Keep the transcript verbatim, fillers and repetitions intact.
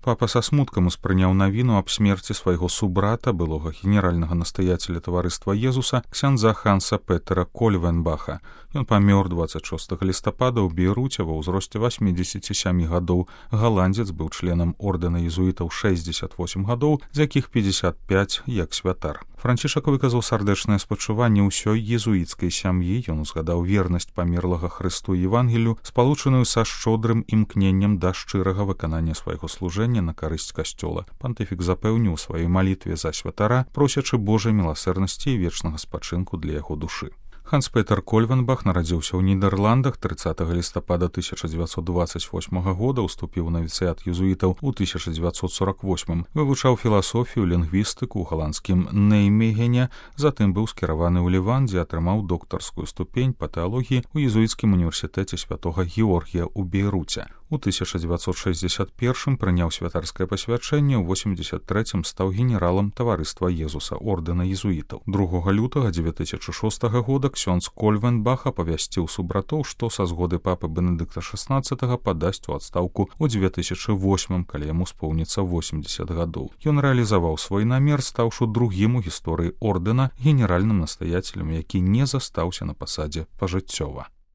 Папа са смуткам успрыняў навіну аб смерці свайго субрата, былога генеральнага настаяцеля таварыства Езуса, ксяндза Ханса Петера Кольвенбаха. Ён памёр дваццаць шостага лістапада ў Бейруце ва ўзросце васьмідзесяці сямі гадоў. Галандзец быў членам ордэна езуітаў шэсцьдзесят восем гадоў, з якіх пятьдесят пять як святар. Францішак выказаў сардэчнае спачуванне ўсёй езуіцкай сям'і. Ён узгадаў вернасць памерлага Хрысту і Евангелію, спалучаную са шчодрым імкненнем да шчырага выканання свайго служэння на карысць касцёла. Пантыфік запэўніў у сваёй малітве за святара, просячы Божай міласэрнасці і вечнага спачынку для яго душы. Ханс Петер Кольвенбах нарадзіўся ў Нідерландах трыццатага лістапада тысяча дзевяцьсот дваццаць восьмага года, уступіў у навіцыят езуітаў у тысяча дзевяцьсот сорок восьмым, вывучаў філасофію, лінгвістыку ў галандскім Неймегене, затым быў скіраваны ў Ліван, дзе атрымаў доктарскую ступень па тэалогіі ў езуіцкім універсітэце святога Георгія ў Бейруце. У тысяча дзевяцьсот шэсцьдзесят першым прыняў святарскае пасвячэнне, ў восемьдесят трэцім стаў генералам таварыства Езуса ордэна езуітаў. другога лютага дзве тысячы шостага года ксёндз Кольвенбах апавясціў субратоў, што са згоды папы Бенедыкта шаснаццатага падасць у адстаўку ў дзве тысячы восьмым, калі яму споўніцца восемьдесят гадоў. Ён рэалізаваў свой намер, стаўшы другім у гісторыі ордэна генеральным настаяцелем, які не застаўся на пасадзе пажыццёва.